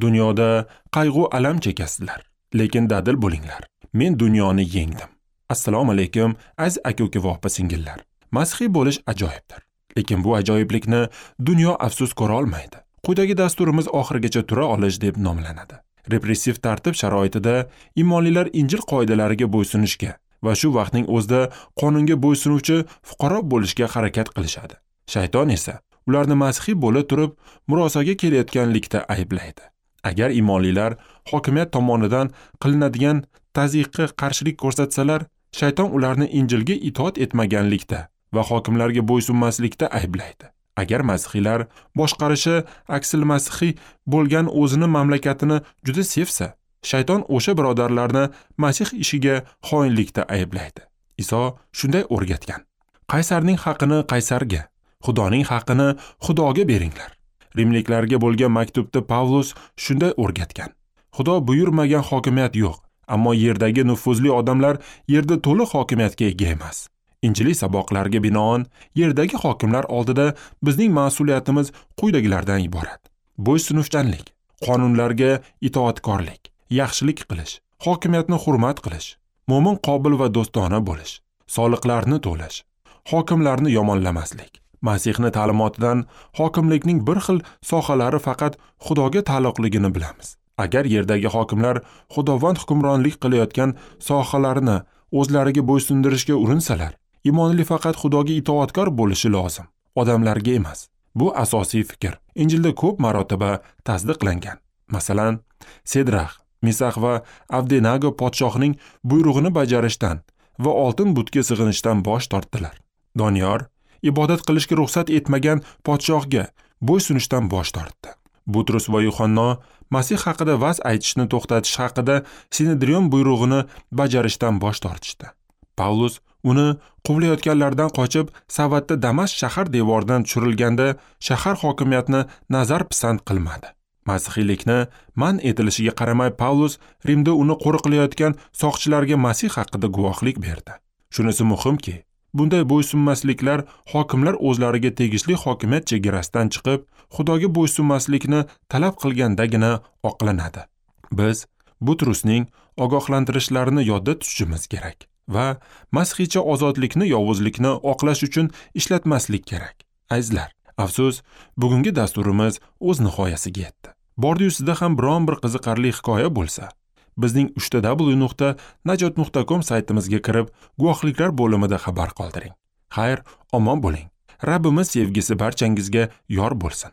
Dunyoda qayg'u alam chekasizlar, lekin dadil bo'linglar. Men dunyoni yengdim. Assalomu alaykum, aziz aka-uka va opa-singillar. Masihiy bo'lish ajoyibdir. Lekin bu ajoyiblikni dunyo afsus ko'ra olmaydi. Quyidagi dasturimiz oxirigacha tura olish deb nomlanadi. Repressiv tartib sharoitida iymonlilar Injil qoidalariga bo'ysunishga va shu vaqtning o'zida qonunga bo'ysunuvchi fuqaro bo'lishga harakat qilishadi. Shayton esa ularni masihiy bo'la turib murosaga kelayotganlikda ayblaydi. Agar iymonlilar hokimiyat tomonidan qilinadigan tazyiqqa qarshilik ko'rsatsalar, shayton ularni Injilga itoat etmaganlikda va hokimlarga bo'ysunmaslikda ayblaydi. Agar masihiylar boshqarishi aksil masihiy bo'lgan o'zini mamlakatini juda sevsa, shayton o'sha birodarlarni Masih ishiga xoinlikda ayblaydi. Iso shunday o'rgatgan: Qaysarning haqini qaysarga, Xudoning haqini Xudoga beringlar. Rimliklarga bo'lgan maktubda Pavlus shunday o'rgatgan: Xudo buyurmagan hokimiyat yo'q, ammo yerdagi nufuzli odamlar yerda to'liq hokimiyatga ega emas. Injiliy saboqlarga binoan yerdagi hokimlar oldida bizning mas'uliyatimiz quyidagilardan iborat: bo'ysunuvchanlik, qonunlarga itoatkorlik, yaxshilik qilish, hokimiyatni hurmat qilish, mo'min qobil va do'stona bo'lish, soliqlarni to'lash, hokimlarni yomonlamaslik. Masihni ta'limotidan hokimlikning bir xil sohalari faqat Xudoga taalluqligini bilamiz. Agar yerdagi hokimlar Xudovand hukmronlik qilayotgan sohalarini o'zlariga bo'ysundirishga urinsalar, iymonli faqat Xudoga itoatkor bo'lishi lozim, odamlarga emas. Bu asosiy fikr Injilda ko'p marotaba tasdiqlangan. Masalan, Sedrax, Misax va Avdenago podshohning buyrug'ini bajarishdan va oltin butga sig'inishdan bosh tortdilar. Doniyor ibodat qilishga ruxsat etmagan podshohga bo'ysunishdan bosh tortdi. Butrus va Yuhanno Masih haqida va'z aytishni to'xtatish haqida Sinedrion buyrug'ini bajarishdan bosh tortishdi. Pavlus uni quvlayotganlardan qochib, savatda Damashq shahar devoridan tushirilganda shahar hokimiyatini nazar pisand qilmadi. Masihiylikni man etilishiga qaramay Pavlus Rimda uni qo'riqlayotgan soqchilarga Masih haqida guvohlik berdi. Shunisi muhimki, bunday bo'ysunmasliklar hokimlar o'zlariga tegishli hokimiyat chegarasidan chiqib, Xudoga bo'ysunmaslikni talab qilgandagina oqlanadi. Biz Butrusning ogohlantirishlarini yodda tutishimiz kerak va masihiycha ozodlikni yovuzlikni oqlash uchun ishlatmaslik kerak. Azizlar, afsus, bugungi dasturimiz o'z nihoyasiga yetdi. Bordi-yu sizda ham biron bir qiziqarli hikoya bo'lsa, bizning www.najot.com saytimizga kirib, guvohliklar bo'limida xabar qoldiring. Xayr, omon bo'ling. Rabbimiz sevgisi barchangizga yor bo'lsin.